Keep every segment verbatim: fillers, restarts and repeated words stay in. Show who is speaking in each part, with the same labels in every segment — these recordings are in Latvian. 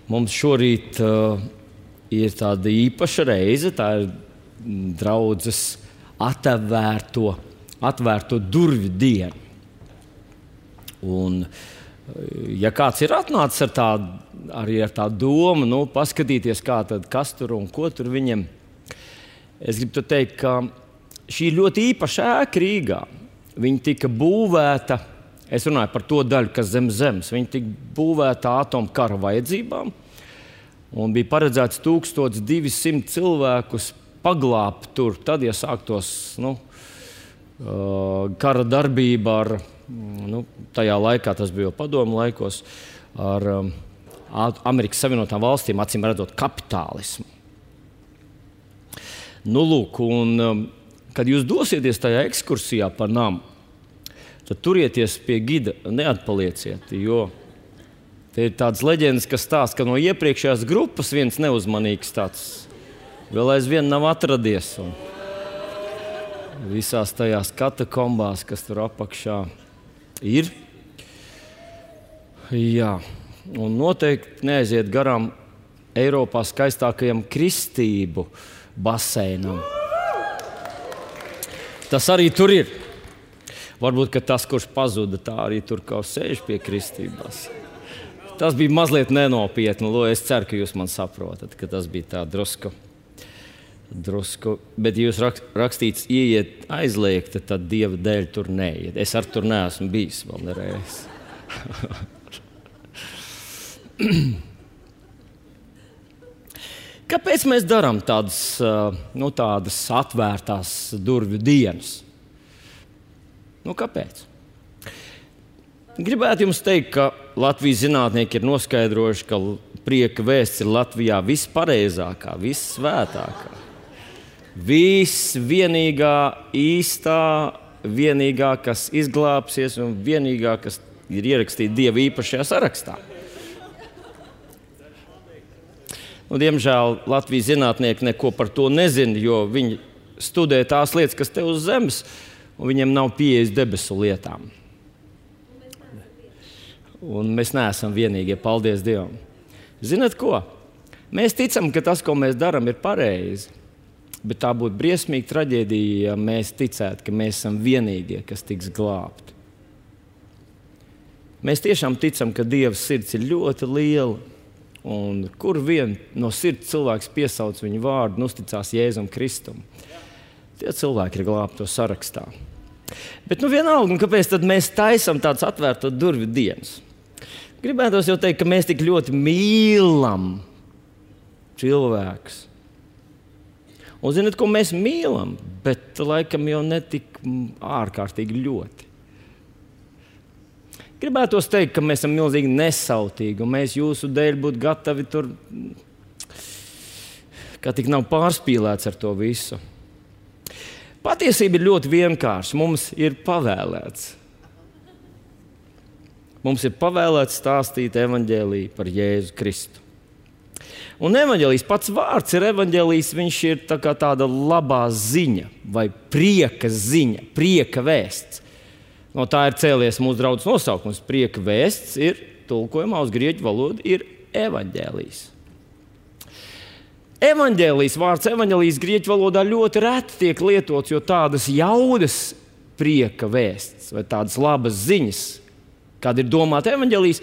Speaker 1: Mums šorīt uh, ir tāda īpaša reize, tā ir draudzes atvērto, atvērto durvju diena. Un, ja kāds ir atnācis ar tādu, arī ar tādu domu, nu, paskatīties, kā tad, kas tur un ko tur viņam, es gribu teikt, ka šī ir ļoti īpaša ēka Rīgā. Viņa tika būvēta, es runāju par to daļu, kas zem zemes, viņa tika būvēta atomkara vajadzībām un bija paredzēts tūkstoš divi simti cilvēkus paglābt tur. Tad, ja sāktos nu, kara darbība ar, nu, tajā laikā, tas bija jau padomu laikos, ar Amerikas Savienotām valstīm, acīm redzot, kapitālismu. Nu, lūk, un kad jūs dosieties tajā ekskursijā pa namu, tad turieties pie gida, neatpalieciet, jo te ir tādas leģendas, kas stāsta, ka no iepriekšējās grupas viens neuzmanīgs tāds vēl aizvien nav atradies. Un visās tajās katakombās, kas tur apakšā ir. Jā, un noteikti neaiziet garām Eiropā skaistākajam kristību baseinam. Tas arī tur ir. Varbūt, ka tas, kurš pazuda, tā arī tur kaut sēž pie kristībās. Tas bija mazliet nenopietni. Es ceru, ka jūs man saprotat, ka tas bija tā drusku. drusku. Bet, ja jūs rakstīts ieiet aizliegta, tad Dieva dēļ tur neiet. Es ar tur neesmu bijis vēl nereiz. Kāpēc mēs darām tādas, nu, tādas atvērtās durvju dienas? Nu, kāpēc? Gribētu jums teikt, ka Latvijas zinātnieki ir noskaidrojuši, ka prieka vēsts ir Latvijā vispareizākā, vissvētākā, visvienīgā, īstā, vienīgā, kas izglābsies un vienīgā, kas ir ierakstīta Dieva īpašajā sarakstā. Un, diemžēl Latvijas zinātnieki neko par to nezina, jo viņi studē tās lietas, kas te uz zemes, un viņiem nav pieejas debesu lietām. Un mēs neesam vienīgie, paldies Dievam. Zināt ko? Mēs ticam, ka tas, ko mēs darām, ir pareizi. Bet tā būtu briesmīga traģēdija, ja mēs ticētu, ka mēs esam vienīgie, kas tiks glābti. Mēs tiešām ticam, ka Dieva sirds ir ļoti liela. Un kur vien no sirds cilvēks piesauc viņu vārdu un uzticās Jēzum Kristum, tie cilvēki ir glābto sarakstā. Bet nu vienalga, un kāpēc tad mēs taisam tāds atvērto durvju dienas? Gribētos jau teikt, ka mēs tik ļoti mīlam cilvēkus. Un zināt, ko mēs mīlam, bet laikam jau netik ārkārtīgi ļoti. Gribētos teikt, ka mēs esam milzīgi nesautīgi, un mēs jūsu dēļ būtu gatavi tur, kā tik nav pārspīlēts ar to visu. Patiesība ir ļoti vienkārša. Mums ir pavēlēts. Mums ir pavēlēts stāstīt evaņģēliju par Jēzu Kristu. Un evaņģēlijs pats vārds ir evaņģēlijs, viņš ir tā kā tāda labā ziņa vai prieka ziņa, prieka vēsts. No tā ir cēlies mūsu draudzes nosaukums. Prieka vēsts ir tulkojumā uz grieķu valodu ir evaņģēlijs. Evaņģēlijs, vārds evaņģēlijs grieķu valodā ļoti reti tiek lietots, jo tādas jaudas prieka vēsts vai tādas labas ziņas, kāda ir domāta evaņģēlijs,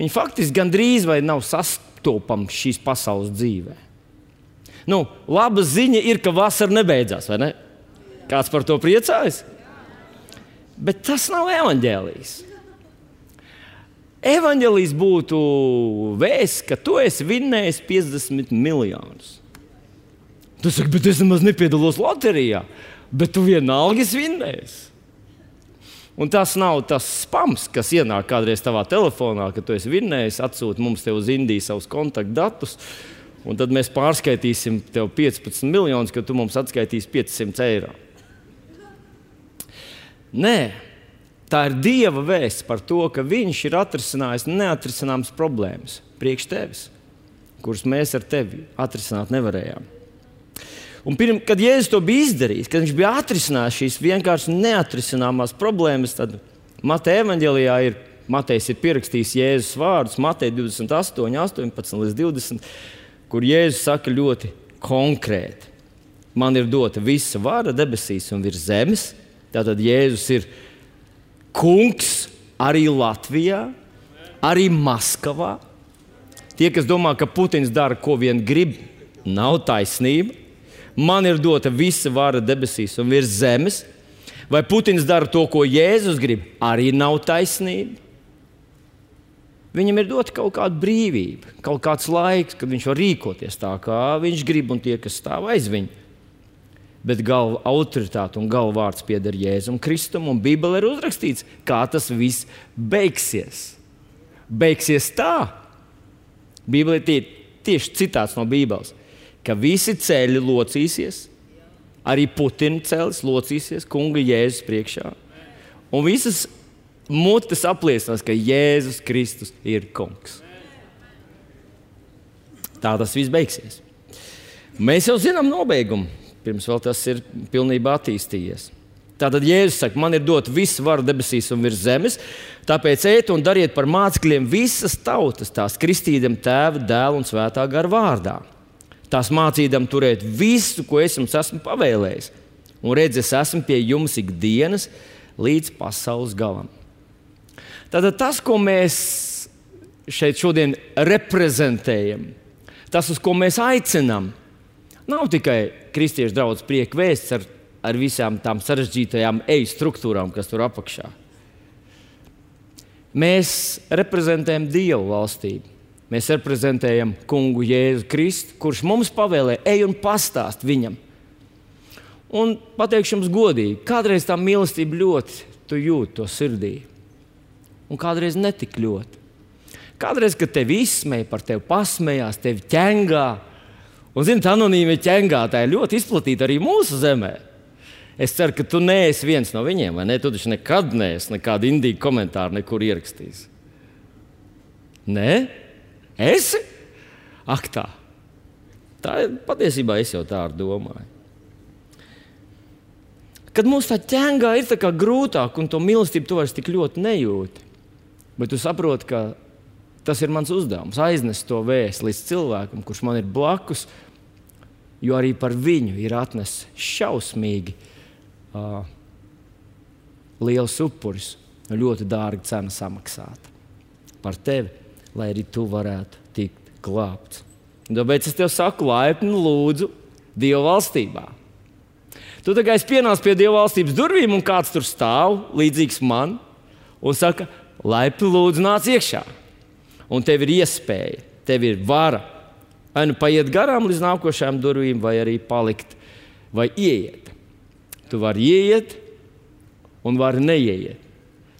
Speaker 1: viņi faktiski gandrīz vai nav sastopams šīs pasaules dzīvē. Nu, laba ziņa ir, ka vasara nebeidzās, vai ne? Kāds par to priecājas? Bet tas nav evaņģēlijs. Evaņģēlijs būtu vēsts, ka tu esi vinnējis piecdesmit miljonus. Tu saki, bet es nemaz nepiedalos loterijā, bet tu vienalga esi vinnējis. Un tas nav tas spams, kas ienāk kādreiz tavā telefonā, ka tu esi vinnējis, atsūti mums te uz Indiju savus kontaktdatus, un tad mēs pārskaitīsim tev piecpadsmit miljonus, ka tu mums atskaitīsi piecsimt eiro. Nē, tā ir Dieva vēsts par to, ka viņš ir atrisinājis neatrisināmas problēmas priekš tevis, kuras mēs ar tevi atrisināt nevarējām. Un pirms, kad Jēzus to bija izdarījis, kad viņš bija atrisinājis šīs vienkārši neatrisināmās problēmas, tad Mateja evaņģēlijā ir Matejs ir pierakstījis Jēzus vārdus, Mateja divdesmit astoņi, astoņpadsmit līdz divdesmit, kur Jēzus saka ļoti konkrēti. Man ir dota visa vara debesīs un virs zemes. Tātad Jēzus ir kungs arī Latvijā, arī Maskavā. Tie, kas domā, ka Putins dara, ko vien grib, nav taisnība. Man ir dota visa vara debesīs un virs zemes. Vai Putins dara to, ko Jēzus grib, arī nav taisnība. Viņam ir dota kaut kāda brīvība, kaut kāds laiks, kad viņš var rīkoties tā, kā viņš grib, un tie, kas stāv aiz viņu. Bet galva autoritāte un galva vārds pieder Jēzum Kristum, un Bībelē ir uzrakstīts, kā tas viss beigsies. Beigsies tā. Bībelē tie tieši citāts no Bībeles, ka visi ceļi locīsies, arī Putina celis locīsies kunga Jēzus priekšā. Un visas mutes apliecinās, ka Jēzus Kristus ir kungs. Tā tas viss beigsies. Mēs jau zinām nobeigumu, pirms vēl tas ir pilnībā attīstījies. Tātad Jēzus saka, man ir dota visa vara debesīs un virs zemes, tāpēc ejiet un dariet par mācekļiem visas tautas, tās kristīdam Tēva, Dēla un Svētā gara vārdā. Tās mācīdam turēt visu, ko es jums esmu pavēlējis. Un redz, es esmu pie jums ikdienas līdz pasaules galam. Tātad tas, ko mēs šeit šodien reprezentējam, tas, uz ko mēs aicinām, nav tikai kristiešu draudzes prieka vēsts ar, ar visām tām sarežģītajām eju struktūrām, kas tur apakšā. Mēs reprezentējam Dievu valstību. Mēs reprezentējam kungu Jēzu Kristu, kurš mums pavēlē, ej un pastāst viņam. Un pateikšu jums godīgi, kādreiz tā mīlestība ļoti tu jūti to sirdī. Un kādreiz netik ļoti. Kādreiz, kad tevi izsmēja, par tevi pasmējās, tevi ķengā. Un, zini, tā anonīmi ķengātāji ļoti izplatīta arī mūsu zemē. Es ceru, ka tu neesi viens no viņiem, vai ne? Tu taču nekad neesi nekādu indīgu komentāru nekur ierakstījis. Nē? Esi? Ak tā. Tā ir patiesībā es jau tā ar domāju. Kad mums tā ķengā ir tā kā grūtāk un to mīlestību tu vairs tik ļoti nejūti, bet tu saproti, ka tas ir mans uzdevums, aiznest to vēstu līdz cilvēkam, kurš man ir blakus, jo arī par viņu ir atnesis šausmīgi uh, liels upuris un ļoti dārga cena samaksāta par tevi, lai arī tu varētu tikt glābts. Tāpēc es tev saku, laipni lūdzu Dieva valstībā. Tu tā kā es pienācu pie Dieva valstības durvīm, un kāds tur stāv, līdzīgs man, un saka, laipni lūdzu nāc iekšā. Un tev ir iespēja, tev ir vara, vai nu paiet garām līdz nākošajām durvīm, vai arī palikt, vai ieiet. Tu vari ieiet, un vari neieiet.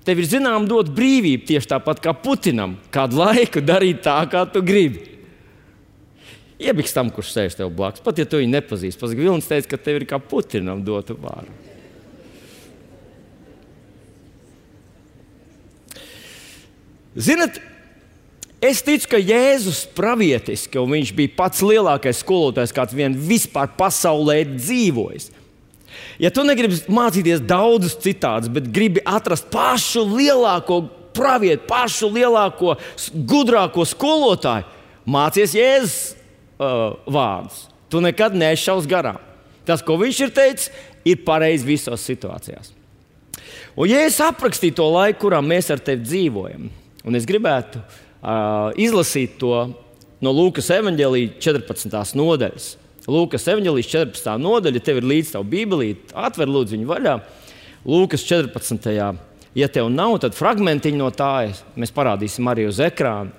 Speaker 1: Tev ir zinām dot brīvību tieši tāpat kā Putinam, kādu laiku darīt tā, kā tu gribi. Iebiks tam, kurš sēž tev blakus, pat ja tu viņu nepazīsti. Pats Vilnis teica, ka tev ir kā Putinam dota vāra. Zinat, es ticu, ka Jēzus pravietiski, un viņš bija pats lielākais skolotājs, kāds vien vispār pasaulē dzīvojis. Ja tu negribi mācīties daudzus citādus, bet gribi atrast pašu lielāko pravietu, pašu lielāko, gudrāko skolotāju, mācies Jēzus uh, vārdus. Tu nekad nešaus garām. Tas, ko viņš ir teicis, ir pareizi visās situācijās. Un Jēzus aprakstīja to laiku, kurā mēs ar tevi dzīvojam. Un es gribētu uh, izlasīt to no Lūkas evaņģēlija četrpadsmitās nodaļas. Lūkas evaņģēlijas četrpadsmitā nodaļa, tev ir līdz tavu bībelīti, atver lūdzu viņu vaļā. Lūkas četrpadsmitajā Ja tev nav, tad fragmentiņi no tā mēs parādīsim arī uz ekrāna.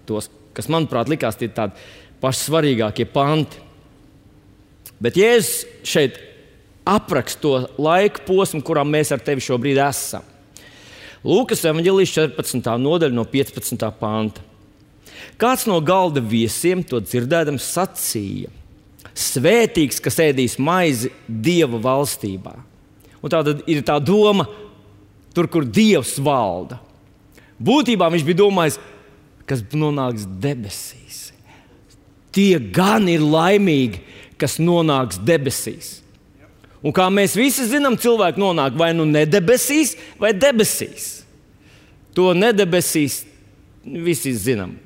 Speaker 1: Tos, kas, manuprāt, likās tie tādi paši svarīgākie panti. Bet Jēzus šeit apraksta to laika posmu, kurā mēs ar tevi šobrīd esam. Lūkas evaņģēlijas četrpadsmitā nodaļa no piecpadsmitā panta. Kāds no galda viesiem to dzirdēdams sacīja: Svētīgs, kas ēdīs maizi Dieva valstībā. Un tā tad ir tā doma, tur, kur Dievs valda. Būtībā viņš bija domājis, kas nonāks debesīs. Tie gan ir laimīgi, kas nonāks debesīs. Un kā mēs visi zinām, cilvēki nonāk vai nu ne debesīs, vai debesīs. To nedebesīs, visi zinām,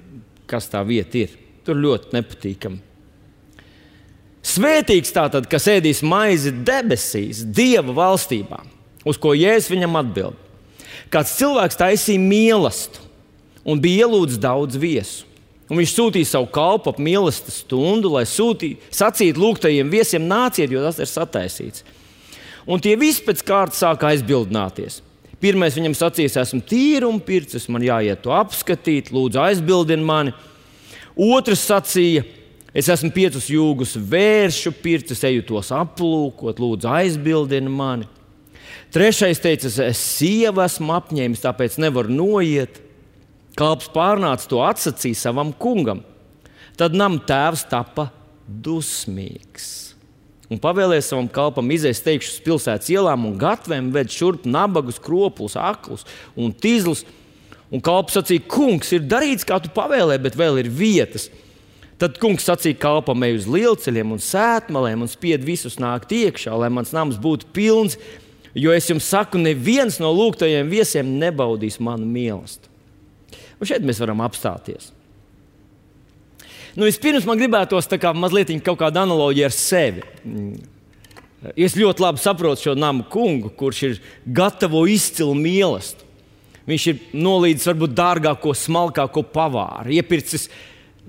Speaker 1: kas tā vieta ir. Tur ļoti nepatīkami. Svētīgs tātad, kas ēdīs maizi debesīs, Dieva valstībā, uz ko Jēzus viņam atbild. Kāds cilvēks taisīja mīlestību un bija ielūdzis daudz viesu. Un viņš sūtīja savu kalpu ap mīlestības stundu, lai sūtītu, sacītu lūgtajiem viesiem nāciet, jo tas ir sataisīts. Un tie visi pēc kārtas sāka aizbildināties. Pirmais viņam sacīs, esmu tīruma pircis, man jāiet to apskatīt, lūdzu aizbildini mani. Otrs sacīja, es esmu piecus jūgus vēršu pircis, eju tos aplūkot, lūdzu aizbildini mani. Trešais teica, es sievu esmu apņēmis, tāpēc nevaru noiet. Kalps pārnāca to atsacīja savam kungam. Tad nama tēvs tapa dusmīgs. Un pavēlēja savam kalpam iziest teikšu uz pilsētas ielām un gatvēm ved šurp nabagus, kropus, aklus un tīzlus. Un kalps sacīja, kungs, ir darīts, kā tu pavēlēji, bet vēl ir vietas. Tad kungs sacīja kalpam, ej uz lielceļiem un sētmalēm un spied visus nākt iekšā, lai mans nams būtu pilns, jo es jums saku, neviens no lūgtajiem viesiem nebaudīs manu mīlestību. Un šeit mēs varam apstāties. Nu, vispirms man gribētos tā kā mazliet kaut kāda analoģija ar sevi. Es ļoti labi saprotu šo namu kungu, kurš ir gatavo izcilu mīlestību. Viņš ir nolīdzis varbūt dārgāko, smalkāko pavāru, iepircis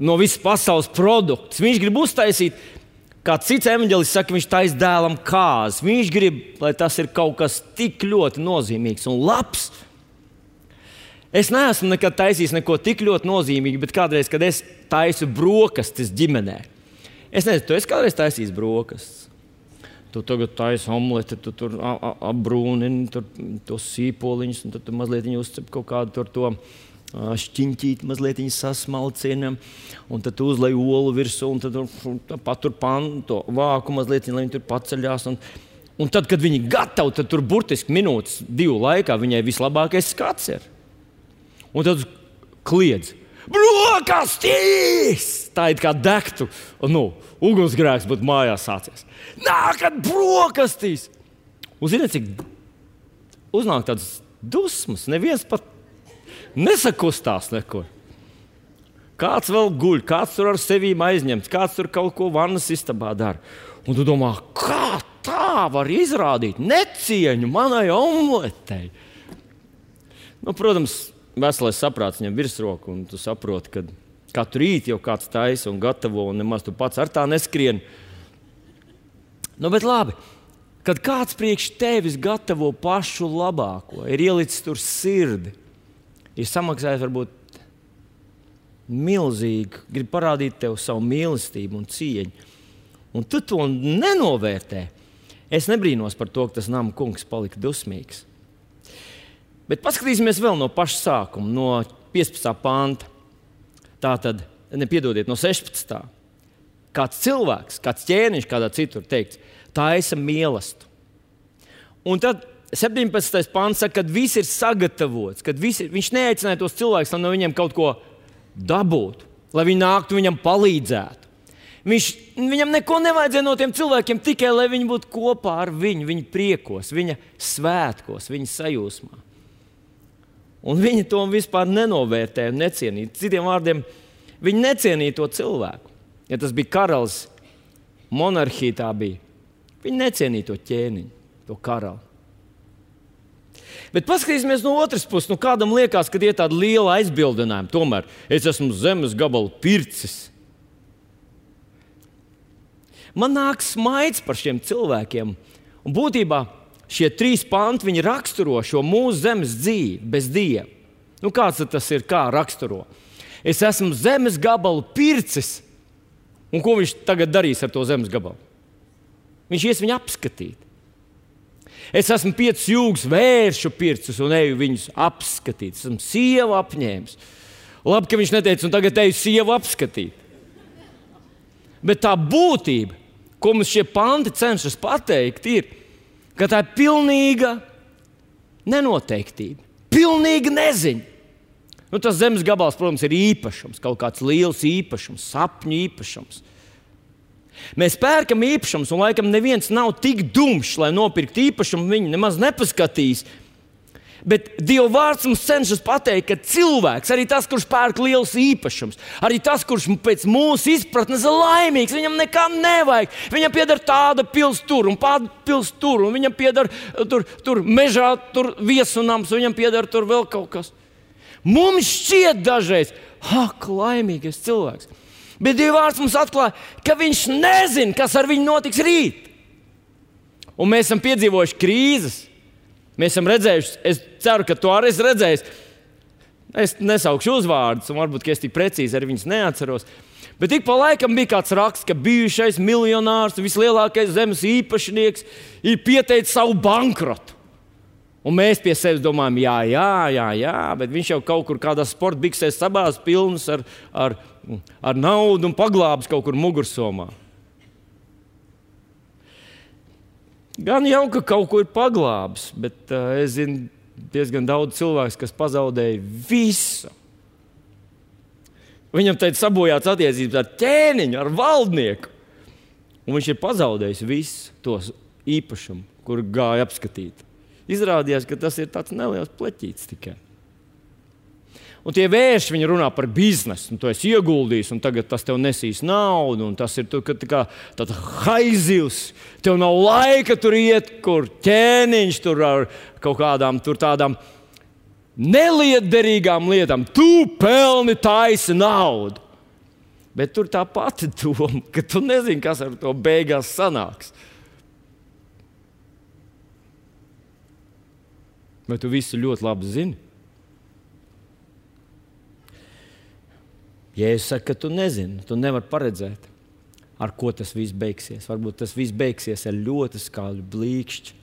Speaker 1: no visas pasaules produktus. Viņš grib uztaisīt, kā cits evaņģelists saka, viņš taisa dēlam kāzi. Viņš grib, lai tas ir kaut kas tik ļoti nozīmīgs un labs. Es neesmu nekad taisījis neko tik ļoti nozīmīgu, bet kādreiz, kad es taisu brokastis ģimenē. Es nezinu, tu esi kādreiz taisījis brokastis. Tu tagad taisi omleti, tu tur apbrūnini tur tos sīpoliņus, un tad tu mazliet uzcep kaut kādu tur to šķiņķīti, mazliet sasmalcina, un tad tu uzlej olu virsū, un tad tu patur panu, to vāku mazliet, lai viņi tur paceļās. Un, un tad, kad viņi gatavi, tad tur burtiski minūtes, divu laikā viņai vislabākais skats ir. Un tad kliedz, brokastīs! Tā ir kā degtu, nu, ugunsgrēks būtu mājās sācies. Nākat brokastīs! Un ziniet, cik uznāk tādas dusmas, neviens pat nesakustās nekur. Kāds vēl guļ, kāds tur ar sevīm aizņemts, kāds tur kaut ko vannas istabā dara. Un tu domā, kā tā var izrādīt necieņu manai omletei? Nu, protams, veselais saprāts ņem virsroku, un tu saproti, ka katru rītu jau kāds taisa un gatavo, un nemaz tu pats ar tā neskrien. Nu, bet labi, kad kāds priekš tevis gatavo pašu labāko, ir ielicis tur sirdi, ir samaksājis varbūt milzīgi, grib parādīt tev savu mīlestību un cieņu, un tu to nenovērtē. Es nebrīnos par to, ka tas nama kungs palika dusmīgs. Bet paskatīsimies vēl no paša sākuma, no piecpadsmitā panta. Tātad, nepiedodiet, no sešpadsmitā. Kāds cilvēks, kāds ķēniņš, kādā citur teikts, taisa mīlestību. Un tad septiņpadsmitais pants saka, kad viss ir sagatavots, kad visi, viņš neaicināja tos cilvēkus, lai no viņiem kaut ko dabūtu, lai viņi nāktu viņam palīdzētu. Viņš, viņam neko nevajadzēja no tiem cilvēkiem, tikai lai viņi būtu kopā ar viņu, viņa priekos, viņa svētkos, viņa sajūsmā. Un viņi to vispār nenovērtēja un necienīja. Citiem vārdiem, viņi necienīja to cilvēku. Ja tas bija karalis, monarhija tā bija, viņi necienīja to ķēniņu, to karali. Bet paskatīsimies no otras puses. Nu, kādam liekas, ka ir tāda liela aizbildinājuma. Tomēr es esmu zemes gabalu pircis. Man nāk smaids par šiem cilvēkiem. Un būtībā šie trīs panti, viņi raksturo šo mūsu zemes dzīvi bez Dieva. Nu, kāds tas ir, kā raksturo? Es esmu zemes gabalu pircis. Un ko viņš tagad darīs ar to zemes gabalu? Viņš ies viņu apskatīt. Es esmu piecus jūgus vēršu pircis un eju viņus apskatīt. Es esmu sievu apņēmis. Labi, ka viņš neteica, un tagad eju sievu apskatīt. Bet tā būtība, ko mums šie panti cenšas pateikt, ir, ka tā ir pilnīga nenoteiktība, pilnīga neziņa. Nu, tas zemes gabals, protams, ir īpašums, kaut kāds liels īpašums, sapņu īpašums. Mēs pērkam īpašumus, un laikam neviens nav tik dumšs, lai nopirktu īpašumu, viņu nemaz nepaskatīs. Bet Dieva vārds mums cenšas pateikt, ka cilvēks, arī tas, kurš pērk liels īpašums, arī tas, kurš pēc mūsu izpratnes ir laimīgs, viņam nekā nevajag. Viņam pieder tāda pils tur un tāda pils tur, un viņam pieder tur, tur mežā, tur viesunams, un viņam pieder tur vēl kaut kas. Mums šķiet dažreiz, ak, laimīgais cilvēks. Bet Dieva vārds mums atklāja, ka viņš nezina, kas ar viņu notiks rīt. Un mēs esam piedzīvojuši krīzes. Mēs esam redzējuši, es ceru, ka tu arī esi redzējis. Es nesaukšu uzvārdus, un varbūt es tik precīzi arī viņus neatceros. Bet ik pa laikam bija kāds raksts, ka bijušais miljonārs, vislielākais zemes īpašnieks ir pieteicis savu bankrotu. Un mēs pie sevis domājam, jā, jā, jā, jā, bet viņš jau kaut kur kādā sporta biksēs sabās pilns ar, ar, ar naudu un paglābs kaut kur mugursomā. Gan jau, ka kaut ko ir paglābis, bet uh, es zinu diezgan daudz cilvēku, kas pazaudēja visu. Viņam teica sabojāts attiecības ar ķēniņu, ar valdnieku. Un viņš ir pazaudējis visu tos īpašumu, kuru gāja apskatīt. Izrādījās, ka tas ir tāds neliels pleķītis tikai. Un tie vērši, viņi runā par biznesu, un tu esi ieguldījis, un tagad tas tev nesīs naudu, un tas ir tu, ka, tā kā tāds haizivs. Tev nav laika tur iet, kur ķēniņš tur ar kaut kādām tur tādām nelietderīgām lietām. Tu pelni taisi naudu. Bet tur tā pati doma, ka tu nezini, kas ar to beigās sanāks. Vai tu visu ļoti labi zini? Jēzus saka, ka tu nezini, tu nevari paredzēt, ar ko tas viss beigsies. Varbūt tas viss beigsies ar ļoti skaļu blīkšķi.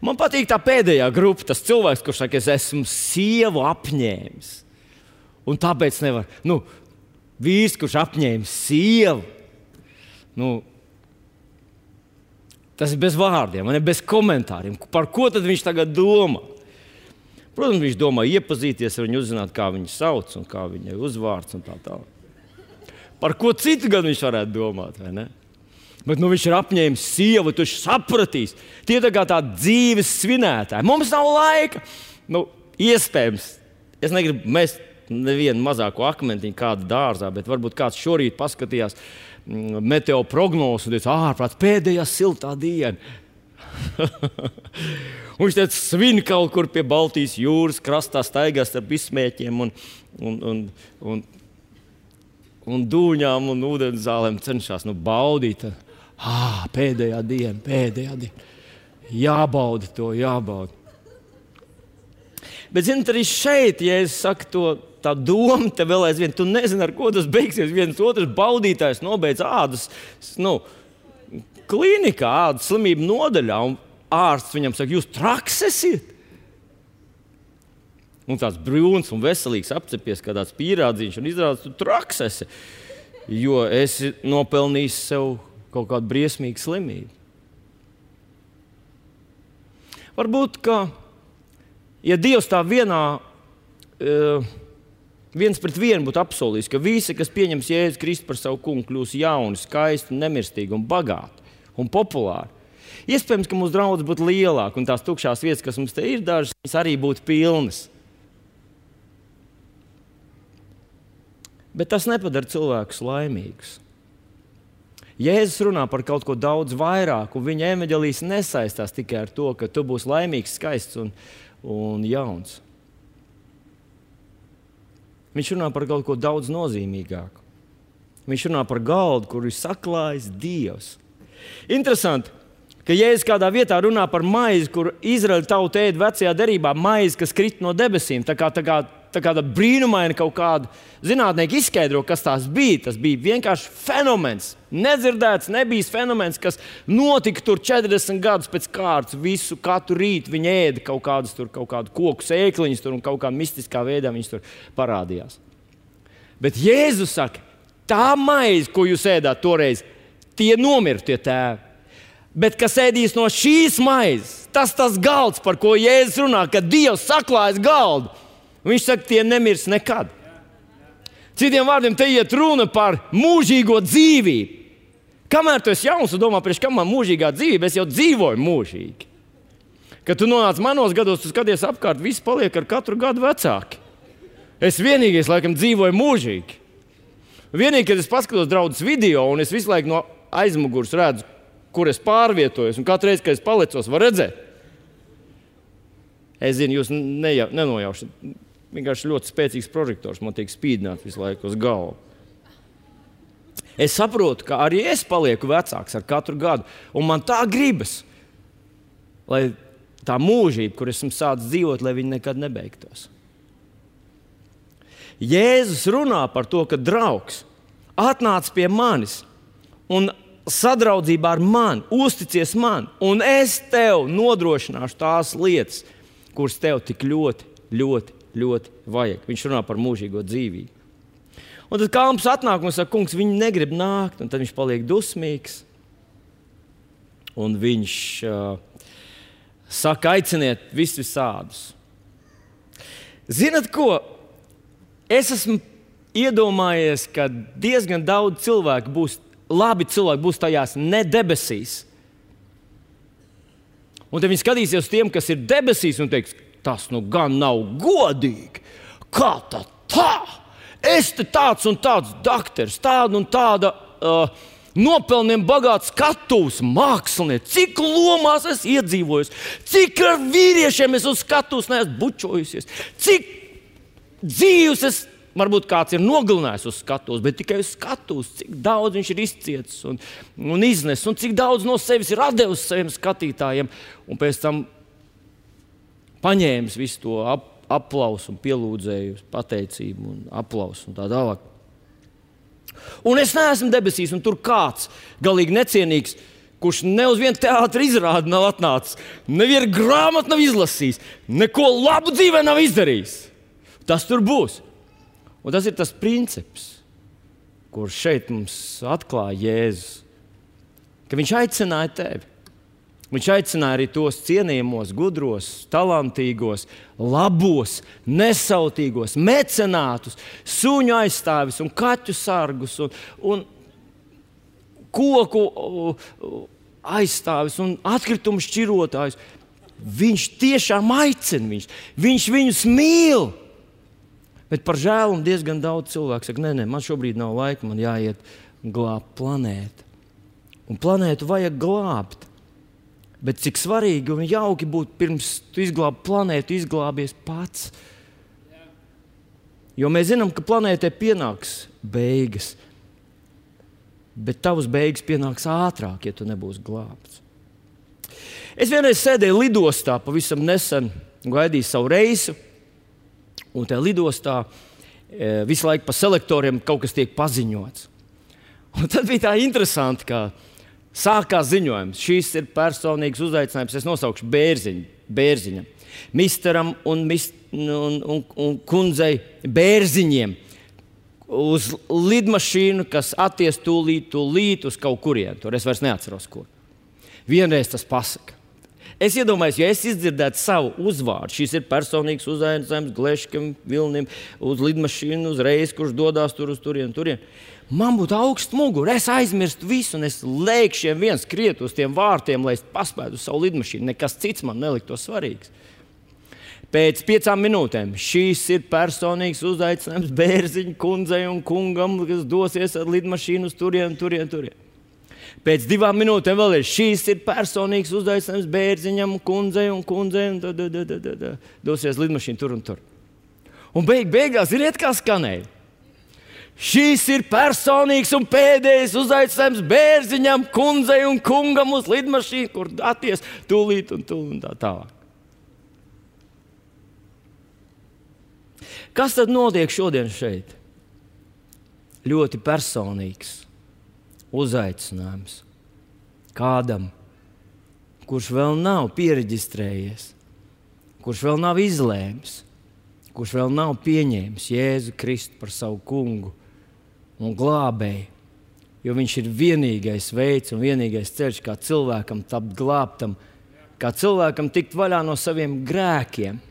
Speaker 1: Man patīk tā pēdējā grupa, tas cilvēks, kurš saka, es esmu sievu apņēmis. Un tāpēc nevar. Nu, vīrs, kurš apņēmis sievu, nu, tas ir bez vārdiem, bez komentāriem. Par ko tad viņš tagad domā? Protams, viņš domā iepazīties ar viņu, uzzināt, kā viņu sauc un kā viņai uzvārds un tā tālāk. Par ko citu gan viņš varētu domāt, vai ne? Bet nu, viņš ir apņēmis sievu, tu viņš sapratīs. Tie tā kā tādi dzīves svinētāji. Mums nav laika. Nu, iespējams, es negribu mest nevienu mazāko akmentiņu kādu dārzā, bet varbūt kāds šorīt paskatījās meteo prognozu un teica, ārprāt, pēdējā siltā diena. Un viņš teica, svin kaut kur pie Baltijas jūras krastā, staigās ar izsmēķiem un, un, un, un, un dūņām un ūdenzālēm cenšas nu, baudīt. Ah, pēdējā diena, pēdējā diena. Jābauda to, jābauda. Bet, zināt, arī šeit, ja es saku to, tā doma te vēl aizvien, tu nezini, ar ko tas beigsies. Viens otrs baudītājs nobeidz ādas, nu, klīnikā, ādas slimību nodaļā, un ārsts viņam saka, jūs traks esiet? Un tāds brūns un veselīgs apcepies kā tāds pīrādziņš, un izrādās, tu traks esi, jo esi nopelnījis sev kaut kādu briesmīgu slimību. Varbūt, ka, ja Dievs tā vienā, uh, viens pret vienu būtu apsolījis, ka visi, kas pieņems Jēzu Kristu par savu kungu, kļūs jauni, skaisti, nemirstīgi un bagāti un populāri. Iespējams, ka mūsu draudz būtu lielāka, un tās tukšās vietas, kas mums te ir dažas, arī būtu pilnas. Bet tas nepadara cilvēkus laimīgus. Jēzus runā par kaut ko daudz vairāk, un viņa evaņģēlijs nesaistās tikai ar to, ka tu būsi laimīgs, skaists un, un jauns. Viņš runā par kaut ko daudz nozīmīgāku. Viņš runā par galdu, kur ir saklājis Dievs. Interesanti, ka Jēzus kādā vietā runā par maizi, kur Izraēļa tauta ēd vecajā derībā, maizi, kas krīt no debesīm. Tā kā, tā kā, tā kā brīnumaini kaut kādu zinātnieki izskaidro, kas tās bija. Tas bija vienkārši fenomens. Nedzirdēts, nebijis fenomens, kas notika tur četrdesmit gadus pēc kārtas. Visu katru rītu viņi ēda kaut kādus tur, kaut kādu koku sēkliņus tur un kaut kā mistiskā veidā viņus tur parādījās. Bet Jēzus saka, tā maize, ko jūs ēdāt toreiz, tie nomira tie tēvi. Bet kas ēdīs no šīs maizes, tas tas galds, par ko Jēzus runā, kad Dievs saklājas galdu. Viņš saka, tie nemirs nekad. Citiem vārdiem, te iet runa par mūžīgo dzīvību. Kamēr tu esi jauns un domā, priekš kam man mūžīgā dzīvība, es jau dzīvoju mūžīgi. Kad tu nonāc manos gados, tu skaties apkārt, visi paliek ar katru gadu vecāki. Es vienīgais, laikam, dzīvoju mūžīgi. Vienīgi, kad es paskatos draudzes video, un es visu laiku no aizmugures redzu, kur es pārvietojos, un katru reizi, kad es palicos, var redzēt. Es zinu, jūs neja, nenojaušat. Vienkārši ļoti spēcīgs prožektors man tiek spīdināts visu laiku uz galvu. Es saprotu, ka arī es palieku vecāks ar katru gadu, un man tā gribas, lai tā mūžība, kur esmu sācis dzīvot, lai viņa nekad nebeigtos. Jēzus runā par to, ka draugs atnāc pie manis un sadraudzībā ar mani, uzticies man, un es tev nodrošināšu tās lietas, kuras tev tik ļoti, ļoti, ļoti vajag. Viņš runā par mūžīgo dzīvību. Un tad kalps atnāk un saka, kungs, viņi negrib nākt, un tad viņš paliek dusmīgs. Un viņš uh, saka, aiciniet visus visādus. Zinat ko? Es esmu iedomājies, ka diezgan daudz cilvēku būs, labi cilvēki būs tajās ne debesīs. Un tad viņi skatīsies uz tiem, kas ir debesīs, un teiks, tas nu gan nav godīgi. Kā tā tā? Es te tāds un tāds dakters, tāda un tāda uh, nopelniem bagāts skatuves mākslinieks. Cik lomās es iedzīvojos, cik ar vīriešiem es uz skatuves neesmu bučojusies, cik dzīves es, varbūt kāds ir nogalinājis uz skatuves, bet tikai uz skatuves, cik daudz viņš ir izcietis un, un iznes, un cik daudz no sevis ir atdevis saviem skatītājiem, un pēc tam paņēmis visu to ap, aplausu un pielūdzēju pateicību un aplausu un tā tālāk. Un es neesmu debesīs, un tur kāds galīgi necienīgs, kurš ne uz vienu teātri izrādi nav atnācis, nevienu grāmatu nav izlasījis, neko labu dzīvē nav izdarījis. Tas tur būs. Un tas ir tas princips, kurš šeit mums atklāja Jēzus, ka viņš aicināja tevi. Viņš aicināja arī tos cienījamos, gudros, talantīgos, labos, nesautīgos, mecenātus, suņu aizstāvis un kaķu sargus un, un koku aizstāvis un atkritumu šķirotājus. Viņš tiešām aicina viņus. Viņš viņus mīl. Bet par žēlumu diezgan daudz cilvēku saka, nē, nē, man šobrīd nav laika, man jāiet glābt planētu. Un planētu vajag glābt. Bet cik svarīgi un jauki būtu pirms tu izglābi planētu, izglābies pats. Jo mēs zinām, ka planētai pienāks beigas. Bet tavas beigas pienāks ātrāk, ja tu nebūsi glābts. Es vienreiz sēdēju lidostā, pavisam nesen gaidīju savu reisu. Un tajā lidostā e, visu laiku pa selektoriem kaut kas tiek paziņots. Un tad bija tā interesanti, ka sākās ziņojums. Šis ir personīgs uzaicinājums. Es nosaukšu Bērziņu, Bērziņam. Misteram un, mist, un, un, un kundzei Bērziņiem uz lidmašīnu, kas atties tūlīt, tūlīt uz kaut kurien. Tur es vairs neatceros, kur. Vienreiz tas pasaka. Es iedomājos, ja es izdzirdētu savu uzvārdu, šis ir personīgs uzaicinājums Gleškam, Vilnim, uz lidmašīnu, uz reizi, kurš dodās tur uz turien, turien. Man būtu augsts mugura, es aizmirstu visu, un es lēkšiem viens skriet uz tiem vārtiem, lai es paspētu uz savu lidmašīnu. Nekas cits man neliktos svarīgs. Pēc piecām minūtēm šīs ir personīgs uzaicinājums Bērziņa kundzei un kungam, kas dosies ar lidmašīnu uz turien, turien, turien. Pēc divām minūtēm vēl ir šīs ir personīgs uzaicinājums Bērziņam, kundzei un kundzei, un da, da, da, da, da, dosies lidmašīnu tur un tur. Un beig, beigās ir iet kā skanēja. Šīs ir personīgs un pēdējais uzaicinājums Bērziņam, kundzei un kungam uz lidmašīnu, kur atties tūlīt un tūlīt un tā tālāk. Kas tad notiek šodien šeit? Ļoti personīgs uzaicinājums kādam, kurš vēl nav piereģistrējies, kurš vēl nav izlēmis, kurš vēl nav pieņēmis Jēzu Kristu par savu kungu un glābēju, jo viņš ir vienīgais veids un vienīgais ceļš, kā cilvēkam tapt glābtam, kā cilvēkam tikt vaļā no saviem grēkiem.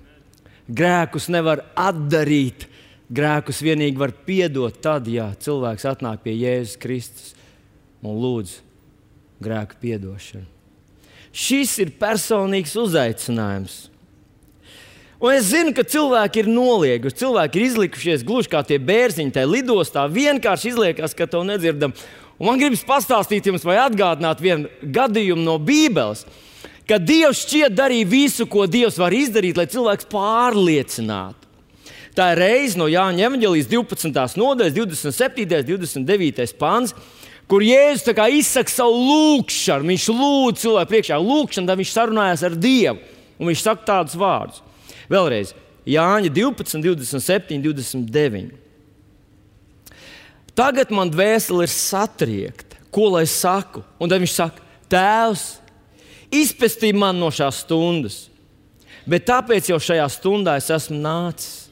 Speaker 1: Grēkus nevar atdarīt, grēkus vienīgi var piedot tad, ja cilvēks atnāk pie Jēzus Kristus un lūdz grēku piedošanu. Šis ir personīgs uzaicinājums. Un es zinu, ka cilvēki ir nolieguši, cilvēki ir izlikušies gluži kā tie bērziņi tajā lidostā, vienkārši izliekas, ka to nedzirdam. Un man gribas pastāstīt jums vai atgādināt vienu gadījumu no Bībeles, ka Dievs šķiet darīja visu, ko Dievs var izdarīt, lai cilvēks pārliecinātu. Tā ir reize no Jāņa evaņģēlijas divpadsmitās nodaļas, divdesmit septītais, divdesmit devītais pants, kur Jēzus tā kā izsaka savu lūgšanu. Viņš lūdz cilvēku priekšā lūgšanu, tad viņš sarunājās ar Dievu. Un viņš saka tādus vārdus. Vēlreiz, Jāņa divpadsmit, divdesmit septiņi, divdesmit deviņi. Tagad man dvēsele ir satriekta. Ko lai saku? Un tad viņš saka, Tēvs, izpestī man no šās stundas. Bet tāpēc jau šajā stundā es esmu nācis.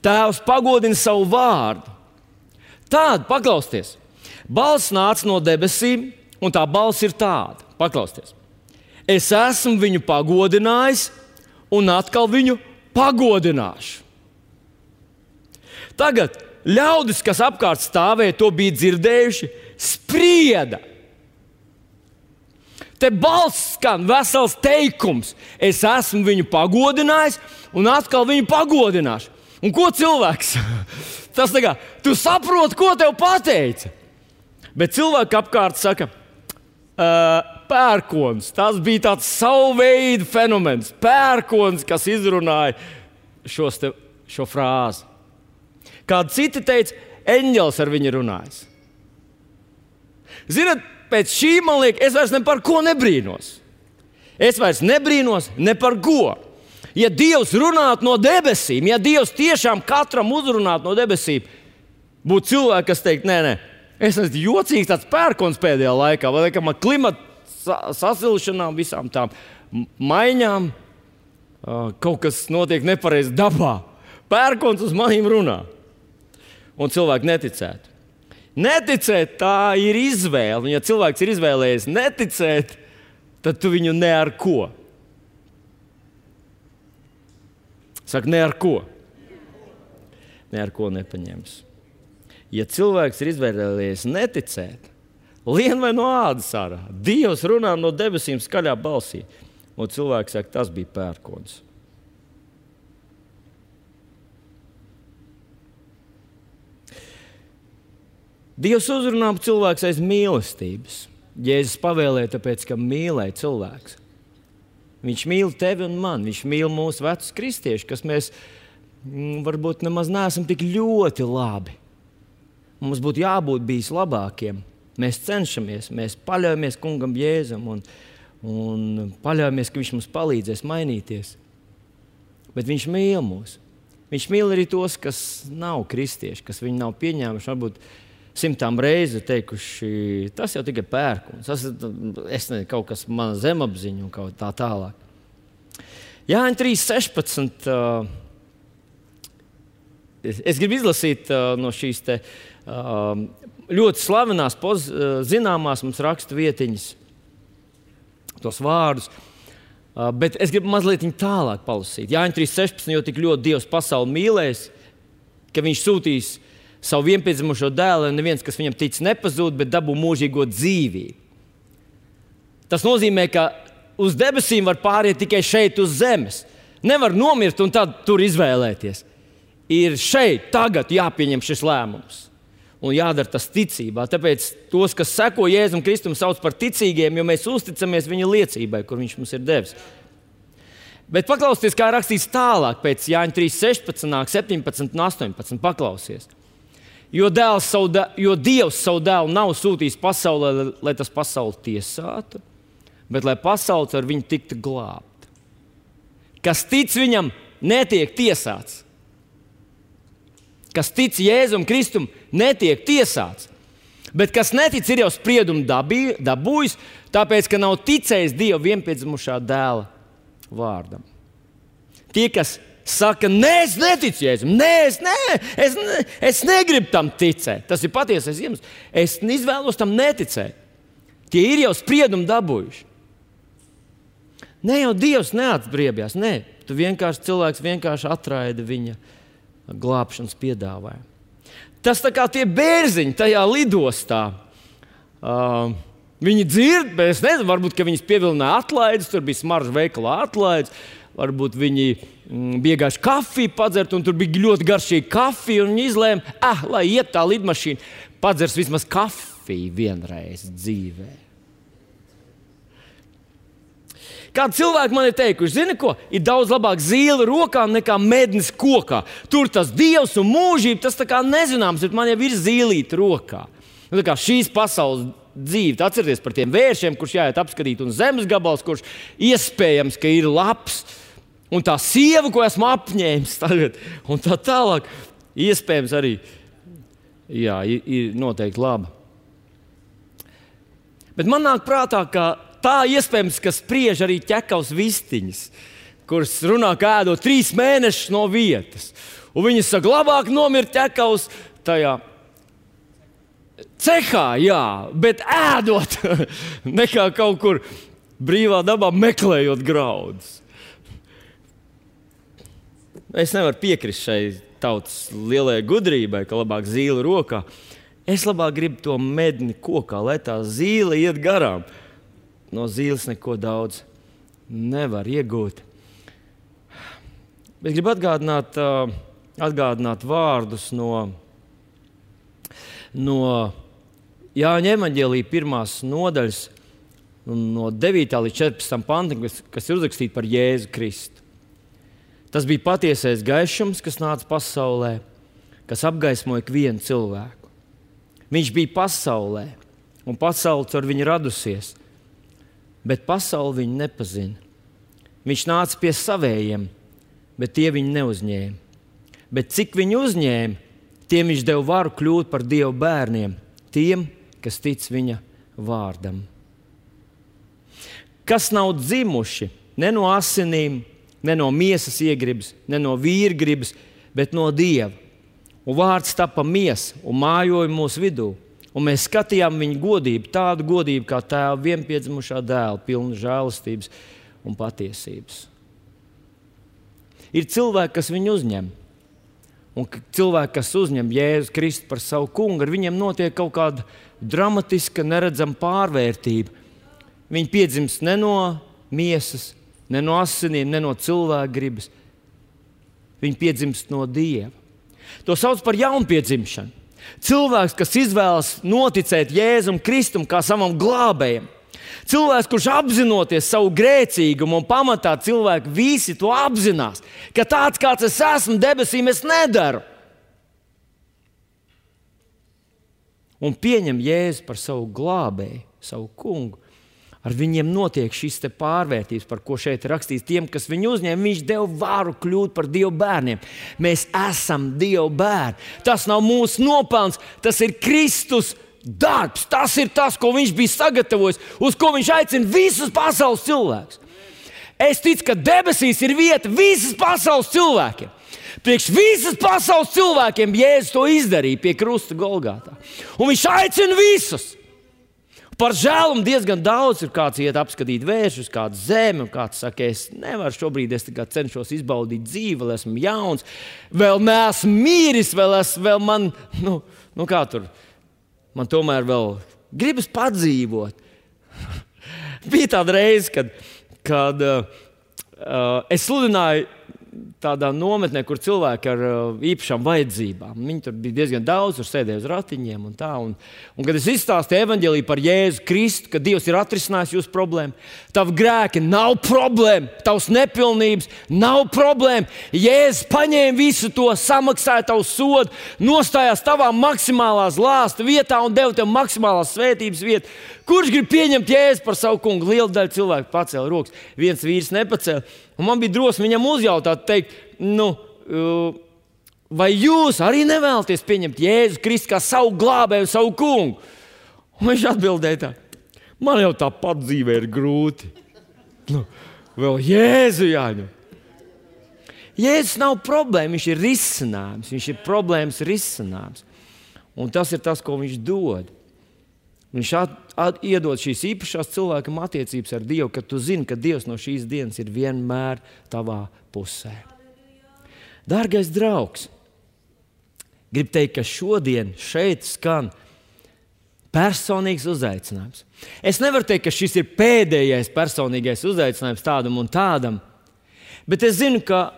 Speaker 1: Tēvs pagodina savu vārdu. Tāda, paklausties, balss nāca no debesīm, un tā balss ir tāda. Paklausties. Es esmu viņu pagodinājis, un atkal viņu pagodināšu. Tagad ļaudis, kas apkārt stāvēja, to bija dzirdējuši, sprieda. Te balss skan vesels teikums. Es esmu viņu pagodinājis, un atkal viņu pagodināšu. Un ko cilvēks? Tas tā kā, tu saproti, ko tev pateica. Bet cilvēki apkārt saka, uh, pērkons. Tas bija tāds savu veidu fenomens. Pērkons, kas izrunāja šos te, šo frāzi. Kādi citi teica, eņģelis ar viņu runājas. Ziniet, pēc šī man liek, es vairs ne par ko nebrīnos. Es vairs nebrīnos ne par ko. Ja Dievs runātu no debesīm, ja Dievs tiešām katram uzrunātu no debesīm, būtu cilvēki, kas teikt, nē, nē, es esmu jocīgs tāds pērkons pēdējā laikā, vai ka man klimata sasilšanām, visām tām maiņām, kaut kas notiek nepareizi dabā. Pērkons uz manīm runā. Un cilvēki neticētu. Neticēt, tā ir izvēle. Un ja cilvēks ir izvēlējies neticēt, tad tu viņu ne ar ko. Saka, ne ar ko. Ne ar ko nepaņems. Ja cilvēks ir izvēlējies neticēt, lien vai no ādas ārā, Dievs runā no debesīm skaļā balsī. Un cilvēks saka, tas bija pērkons. Dievs uzrunā cilvēks aiz mīlestības. Jēzus pavēlēja, tāpēc, ka mīlēja cilvēks. Viņš mīl tevi un man. Viņš mīl mūsu vecus kristiešus, kas mēs m, varbūt nemaz neesam tik ļoti labi. Mums būtu jābūt bijis labākiem. Mēs cenšamies, mēs paļaujamies kungam Jēzum un, un paļaujamies, ka viņš mums palīdzēs mainīties. Bet viņš mīl mūs. Viņš mīl arī tos, kas nav kristieši, kas viņu nav pieņēmuši, varbūt simtām reizi teikuši, tas jau tikai pērkons, tas ir kaut kas mana zemapziņa un kaut tā tālāk. Jāņa trīs sešpadsmit. Uh, es, es gribu izlasīt uh, no šīs te, uh, ļoti slavenās, poz, uh, zināmās mums rakstu vietiņas, tos vārdus, uh, bet es gribu mazliet viņu tālāk palasīt. Jāņa trīs sešpadsmit, jo tik ļoti Dievs pasauli mīlēs, ka viņš sūtīs savu vienpiedzimušo dēlu, un neviens, kas viņam tic, nepazūd, bet dabū mūžīgo dzīvību. Tas nozīmē, ka uz debesīm var pāriet tikai šeit uz zemes. Nevar nomirt un tad tur izvēlēties. Ir šeit, tagad jāpieņem šis lēmums. Un jādara tas ticībā. Tāpēc tos, kas seko Jēzum Kristum, sauc par ticīgiem, jo mēs uzticamies viņa liecībai, kur viņš mums ir devis. Bet paklausieties, kā rakstīts tālāk, pēc Jāņa trīs sešpadsmit, septiņpadsmit un astoņpadsmit. Paklausies. Jo, savu, jo Dievs savu dēlu nav sūtījis pasaulē, lai tas pasauli tiesātu, bet lai pasaules ar viņu tiktu glābta. Kas tic viņam, netiek tiesāts. Kas tic Jēzum Kristum, netiek tiesāts. Bet kas netic, ir jau spriedumu dabī, dabūjis, tāpēc, ka nav ticējis Dieva vienpiedzimušā dēla vārdam. Tie, kas saka, nē, es neticu Jēzum, nē, es, nē, es, ne, es negribu tam ticēt. Tas ir patiesais iemesls. Es izvēlos tam neticēt. Tie ir jau spriedumu dabūjuši. Ne jau Dievs neatbriebjās, nē. Tu vienkārši cilvēks vienkārši atraida viņa glābšanas piedāvājumu. Tas tā kā tie bērziņi tajā lidostā. Uh, Viņi dzird, bet es nezinu, varbūt, ka viņas pievilināja atlaides, tur bija smaržu veikalā atlaides, varbūt viņi mm, bija gājuši kafiju padzert, un tur bija ļoti garšīga kafija, un viņi izlēma, ah, lai iet tā lidmašīna, padzers vismaz kafiju vienreiz dzīvē. Kādi cilvēki man ir teikuši, zini ko, ir daudz labāk zīle rokā nekā mednis kokā. Tur tas dievs un mūžība, tas tā kā nezināms, bet man jau ir zīlīte rokā. Nu, tā kā šīs pasaules dzīve, atcerieties par tiem vēršiem, kurš jāiet apskatīt, un zemes gabals, kurš iespējams, ka ir labs, un tā sieva, ko esmu apņēmis tagad, un tā tālāk, iespējams arī, jā, ir, ir noteikti laba. Bet man nāk prātā, ka tā iespējams, ka spriež arī ķekavas vistiņas, kuras runā, kā ēdot trīs mēnešus no vietas. Un viņas saka, labāk nomirt ķekavas tajā cehā, jā, bet ēdot nekā kaut kur brīvā dabā meklējot graudus. Es nevaru piekrist šai tautas lielajai gudrībai, ka labāk zīle rokā. Es labāk gribu to medni kokā, lai tā zīle iet garām. No zīles neko daudz nevar iegūt. Bet gribu atgādināt, uh, atgādināt vārdus no, no Jāņa evaņģēlija pirmās nodaļas, no devītā līdz četrpadsmitam pantam, kas, kas ir uzrakstīti par Jēzu Kristu. Tas bija patiesais gaišums, kas nāca pasaulē, kas apgaismoja ikvienu cilvēku. Viņš bija pasaulē, un pasaule caur viņu radusies. Bet pasauli viņu nepazina. Viņš nāca pie savējiem, bet tie viņu neuzņēma. Bet cik viņu uzņēma, tiem viņš deva varu kļūt par Dieva bērniem, tiem, kas tic viņa vārdam. Kas nav dzimuši ne no asinīm, ne no miesas iegribas, ne no vīra gribas, bet no Dieva. Un vārds tapa miesa un mājoja mūsu vidū. Un mēs skatījām viņa godību, tādu godību kā tēva vienpiedzimušā dēla, pilnu žēlastības un patiesības. Ir cilvēki, kas viņu uzņem. Un cilvēki, kas uzņem Jēzu Kristu par savu kungu, ar viņiem notiek kaut kāda dramatiska, neredzama pārvērtība. Viņi piedzimst ne no miesas, ne no asinīm, ne no cilvēka gribas. Viņi piedzimst no Dieva. To sauc par jaunpiedzimšanu. Cilvēks, kas izvēlas noticēt Jēzum Kristum kā savam glābējam. Cilvēks, kurš apzinoties savu grēcīgumu un pamatā cilvēki visi to apzinās, ka tāds, kāds es esmu debesīm, es nedaru. Un pieņem Jēzu par savu glābēju, savu kungu. Ar viņiem notiek šis te pārvērtības, par ko šeit ir rakstīts. Tiem, kas viņu uzņēma, viņš deva varu kļūt par Dieva bērniem. Mēs esam Dieva bērni. Tas nav mūsu nopelns, tas ir Kristus darbs. Tas ir tas, ko viņš bija sagatavojis, uz ko viņš aicina visus pasaules cilvēkus. Es ticu, ka debesīs ir vieta visas pasaules cilvēkiem. Priekš visas pasaules cilvēkiem Jēzus to izdarīja pie krusta Golgātā. Un viņš aicina visus. Par žēlumu diezgan daudz ir kāds iet apskatīt vēršus, kāds zemi, un kāds saka, es nevaru šobrīd, es tikai cenšos izbaudīt dzīvi, vēl esmu jauns, vēl neesmu mīris, vēl, es, vēl man, nu, nu kā tur, man tomēr vēl gribas padzīvot. Bija tāda reize, kad, kad uh, uh, es sludināju tādā nometnē, kur cilvēki ar uh, īpašām vajadzībām. Viņi tur bija diezgan daudz, tur sēdēja uz ratiņiem un tā. Un, un kad es izstāstīju evaņģēliju par Jēzu Kristu, ka Dievs ir atrisinājis jūsu problēmu, tavi grēki nav problēma, tavs nepilnības nav problēma. Jēzus paņēma visu to, samaksāja tavu sodu, nostājās tavā maksimālās lāsta vietā un deva tev maksimālās svētības vietu. Kurš grib pieņemt Jēzu par savu kungu? Liela daļa cilvēku pacēla rokas. Viens vīrs nepacēla. Un man bija drosme viņam uzjautāt, teikt, nu, vai jūs arī nevēlaties pieņemt Jēzu Kristu kā savu glābēju, savu kungu? Un viņš atbildēja tā, man jau tāpat dzīvē ir grūti. Nu, vēl Jēzu jāņem. Jēzus nav problēma, viņš ir risinājums, viņš ir problēmas risinājums. Un tas ir tas, ko viņš dod. Viņš at, at, iedod šīs īpašās cilvēkam attiecības ar Dievu, ka tu zini, ka Dievs no šīs dienas ir vienmēr tavā pusē. Dārgais draugs, gribu teikt, ka šodien šeit skan personīgs uzaicinājums. Es nevaru teikt, ka šis ir pēdējais personīgais uzaicinājums tādam un tādam, bet es zinu, ka,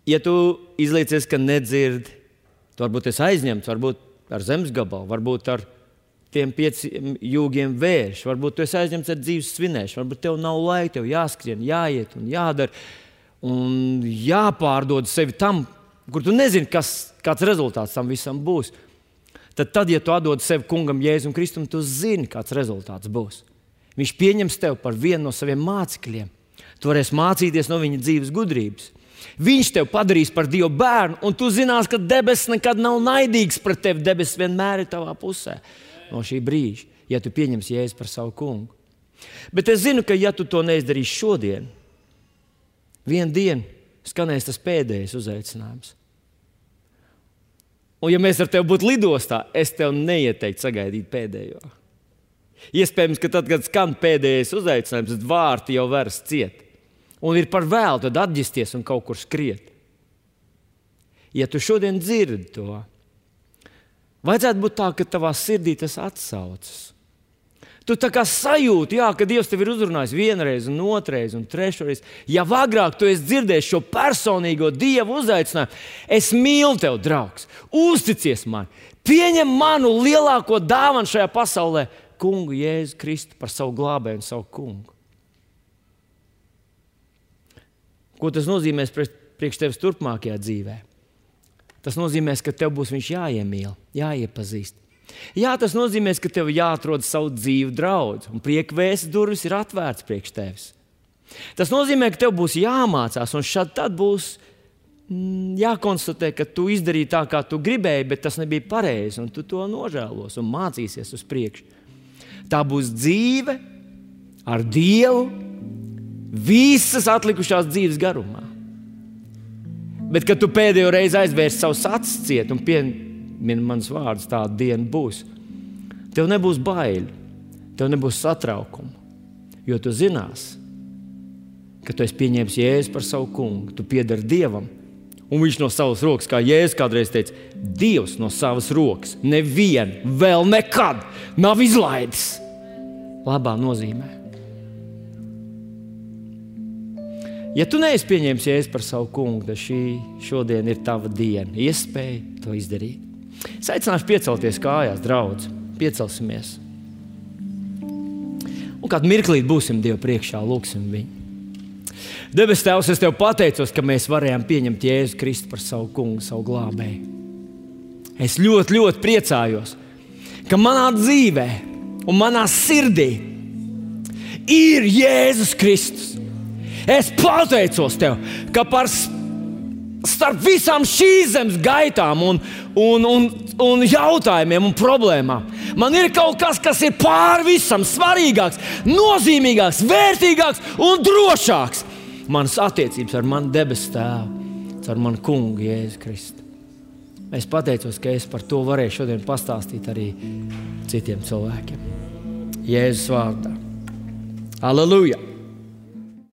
Speaker 1: ja tu izliecies, ka nedzirdi, tu varbūt esi aizņemts, varbūt ar zemes gabalu, varbūt ar tiem pieciem jūgiem vērš, varbūt tu esi aizņemts ar dzīves svinēšanu, varbūt tev nav laika, tev jāskrien, jāiet un jādara un jāpārdod sevi tam, kur tu nezini, kas, kāds rezultāts tam visam būs. Tad, tad, ja tu atdod sevi kungam Jēzum Kristum, tu zini, kāds rezultāts būs. Viņš pieņems tevi par vienu no saviem mācekļiem. Tu varēsi mācīties no viņa dzīves gudrības. Viņš tevi padarīs par Dieva bērnu, un tu zinās, ka debesis nekad nav naidīgs pret tevi. Debesis vienmēr ir tavā pusē no šī brīža, ja tu pieņemsi Jēzu par savu kungu. Bet es zinu, ka ja tu to neizdarīsi šodien, vienu dienu skanēs tas pēdējais uzaicinājums. Un ja mēs ar tevi būtu lidostā, es tev neieteiktu sagaidīt pēdējo. Iespējams, ka tad, kad skan pēdējais uzaicinājums, tad vārti jau veras ciet. Un ir par vēlu tad atģisties un kaut kur skriet. Ja tu šodien dzirdi to, vajadzētu būt tā, ka tavā sirdī tas atsaucas. Tu tā kā sajūti, jā, ka Dievs tev ir uzrunājis vienreiz, un otrreiz, un trešreiz. Ja agrāk tu esi dzirdējis šo personīgo Dievu uzaicinājumu, es mīlu tev, draugs, uzticies man, pieņem manu lielāko dāvanu šajā pasaulē, kungu Jēzu Kristu par savu glābēju un savu kungu. Ko tas nozīmēs priekš tevis turpmākajā dzīvē? Tas nozīmēs, ka tev būs viņš jāiemīl, jāiepazīst. Jā, tas nozīmē, ka tev jāatrod savu dzīvu draudzi, un prieka vēsts durvis ir atvērts priekš tevis. Tas nozīmē, ka tev būs jāmācās, un šad tad būs mm, jākonstatē, ka tu izdarīji tā, kā tu gribēji, bet tas nebija pareizi, un tu to nožēlos un mācīsies uz priekšu. Tā būs dzīve ar Dievu visas atlikušās dzīves garumā. Bet, kad tu pēdējo reizi aizvērsi savus acis ciet un piemini manus vārdus, tāda diena būs. Tev nebūs baili, tev nebūs satraukumu, jo tu zinās, ka tu esi pieņēmis Jēzu par savu kungu, tu piedari Dievam, un viņš no savas rokas, kā Jēzus kādreiz teica, Dievs no savas rokas nevienu vēl nekad nav izlaidis. Labā nozīmē. Ja tu neesi pieņēmis Jēzu par savu kungu, tad šī šodien ir tava diena, iespēja to izdarīt. Es aicināšu piecelties kājās, draudzi, piecelsimies. Un kādu mirklīt būsim Dievu priekšā, lūksim viņu. Debes Tēvs, es Tev pateicos, ka mēs varējām pieņemt Jēzu Kristu par savu kungu, savu glābēju. Es ļoti, ļoti priecājos, ka manā dzīvē un manā sirdī ir Jēzus Kristus. Es pateicos Tev, ka par starp visām šīs zemes gaitām un, un, un, un jautājumiem un problēmām man ir kaut kas, kas ir pāri visam svarīgāks, nozīmīgāks, vērtīgāks un drošāks. Manas attiecības ar manu debesu Tēvu, ar manu kungu Jēzu Kristu. Es pateicos, ka es par to varēju šodien pastāstīt arī citiem cilvēkiem. Jēzus vārdā. Aleluja!